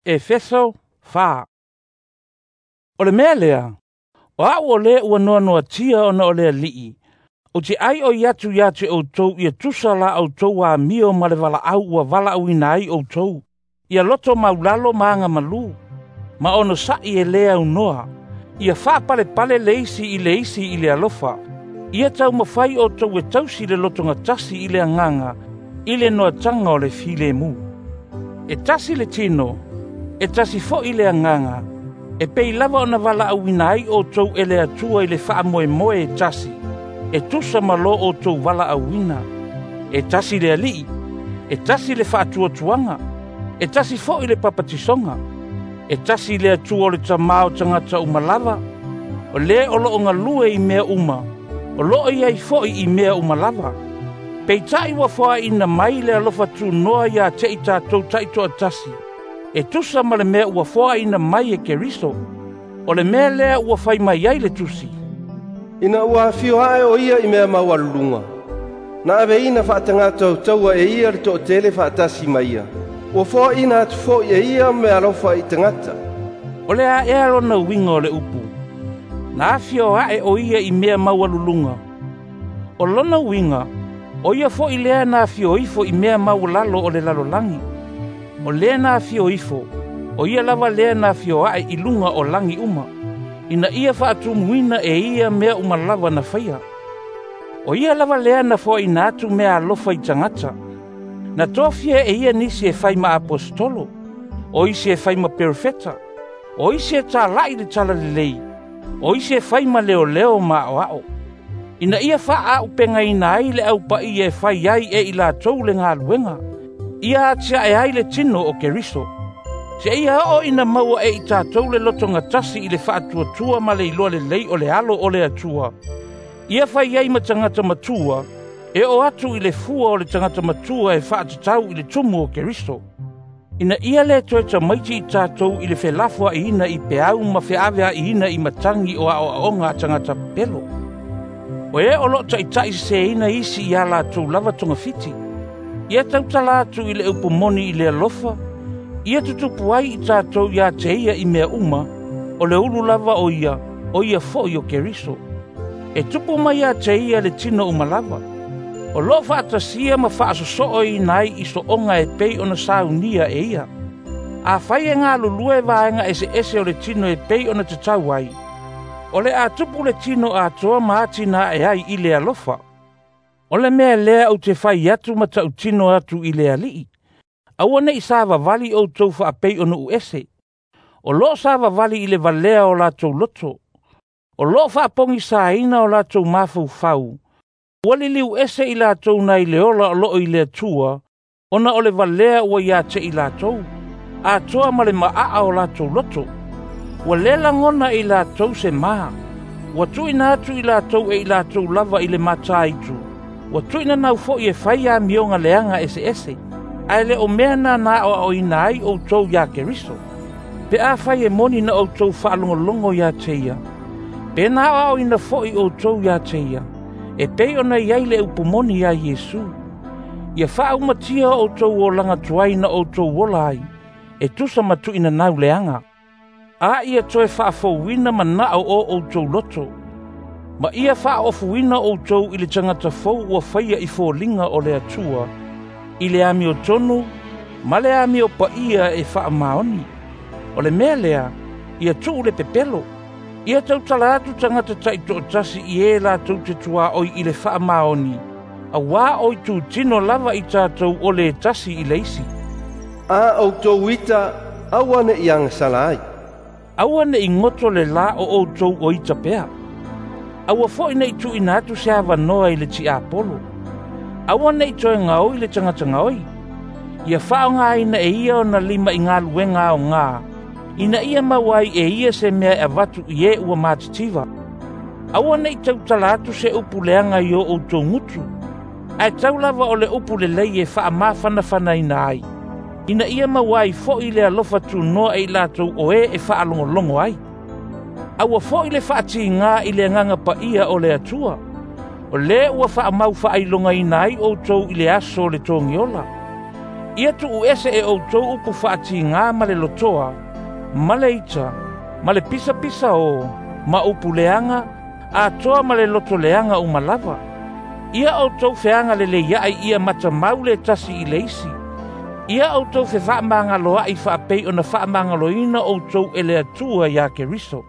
Efeso 4. O le mea lea, o a'u o lē ua noanoatia ona o le Ali'i, ou te ʻaiʻoi atu iā te ʻoutou ia tusa la ʻoutou amio ma le valaau ua valaauina ai ʻoutou, ia loto maulalo ma aga malū, ma onosaʻi e lē aunoa, ia faapalepale le isi i le isi i le alofa, ia taumafai ʻoutou e tausi le lotogatasi i le agaga i le noataga o le filemu. E tasi le tino, e tasi foʻi le agaga, e pei lava ona valaauina ai ʻoutou e le Atua i le faamoemoe e tasi, e tusa ma lo ʻoutou valaauina. E tasi le Alii, e tasi le faatuatuaga, e tasi foʻi le papatisoga, e tasi le Atua o le Tamā o tagata uma lava, o lē o loo galue i mea uma, o loo i ai foʻi i mea uma lava. Peitaʻi ua foaʻiina mai le alofa tunoa iā te i tatou taitoatasi, e tusa ma le mea ua foaʻiina mai e Keriso. O le mea lea ua fai mai ai le Tusi, Ina ua afio ae o ia i mea maualuluga, na aveina faatagata taua e ia le toatele faatasi ma ia, ua foaʻiina atu foʻi e ia meaalofa i tagata. O le a ea lona uiga o le upu, na afio ae o ia i mea maualuluga. O lona uiga, o ia foʻi lea na afio ifo i mea maualalo o le lalolagi. O lea na afio ifo, o ia lava lea na afio ae i luga o lagi uma, ina ia faatumuina e ia mea uma lava na faia. O ia lava lea na foaʻiina atu meaalofa i tagata. Na tofia e ia nisi e fai ma aposetolo, o isi e fai ma perofeta, o isi e talaʻi le talalelei, o isi e fai ma leoleo ma aʻoaʻo, ina ia faaaʻupegaina ai le aupaia e fai ai e i latou le galuega, ia atiaʻe ai le tino o Keriso. Seia oo ina maua e i tatou le lotogatasi i le faatuatua ma le iloa lelei o le alo o le Atua, ia fai ai ma tagata matua, e oo atu i le fua o le tagata matua e faatatau i le tumu o Keriso. Ina ia lē toe tamaiti i tatou i le felafoaʻiina i peau ma feaveaʻiina i matagi o aʻoaʻoga a tagata pepelo. O e o loo taʻitaʻi seseina isi iā latou lava togafiti. Ia tautala atu i le upu moni i le alofa, ia tutupu ai i tatou iā te ia i mea uma, o le ulu lava o ia foʻi o Keriso. E tupu mai iā te ia le tino uma lava. O loo faatasia ma faasosoʻoina ai i soʻoga e pei ona saunia e ia. Afai e galulue vaega eseese o le tino e pei ona tatau ai, o le a tupu le tino atoa ma atinae ai i le alofa. O le mea lea ou te fai atu ma tautino atu i le Alii, aua neʻi savavali ʻoutou faapei o nuu ese. O loo savavali i le valea o latou loto. O loo faapogisaina o latou mafaufau, ua liliu ese i latou nai le ola o loo i le Atua, ona o le valea ua iā te i latou, atoa ma le maʻaʻa o latou loto. Ua lē lagona i latou se ma, ua tuuina atu i latou e i latou lava i le mataitu, ua tuuina nau foʻi e fai amioga leaga eseese, ae le o mea na na aʻoaʻoina ai ʻoutou iā Keriso. Pe afai e moni na ʻoutou faalogologo iā te ia, pe na aʻoaʻoina foʻi ʻoutou iā te ia, e pei ona i ai le upu moni iā Iesu. Ia faaumatia ʻoutou olaga tuai na ʻoutou ola ai, e tusa ma tuuina nau leaga. A ia toe faafouina manaʻo o ʻoutou loto, ma ia faaofuina ʻoutou i le tagata fou ua faia i foliga o le Atua, i le amiotonu ma le amio paia e faamaoni. O le mea lea, ia tuu le pepelo, ia tautala atu tagata taitoatasi i e latou te tuaʻoi i le faamaoni, auā o itutino lava i tatou o le tasi i le isi. A ʻoutou ita, aua neʻi agasala ai. Aua neʻi goto le lā o ʻoutou o ita pea. Aua foʻi neʻi tuuina atu se avanoa i le tiapolo. Aua neʻi toe gaoi le tagata gaoi. Ia faaaogāina e ia ona lima i galuega aogā, ina ia maua ai e ia se mea e avatu i e ua matitiva. Aua neʻi tautala atu se upu leaga i o ʻoutou gutu, ae tau lava o le upu lelei e faamafanafanaina ai, ina ia maua ai foʻi le alofa tunoa e i latou o e e faalogologo ai. Aua foʻi le faatigā i le agaga paia o le Atua, o lē ua faamau faailogaina ai ʻoutou i le aso o le togiola. Ia tuuese e outou upu faatiga ma le lotoa, ma le ita, ma le pisapisaō, ma upu leaga, atoa ma le loto leaga uma lava. Ia outou feagaleleiaʻi ia matamau le tasi i le isi. Ia outou fefaamagaloaʻi faapei ona faamagaloina outou e le Atua ia Keriso.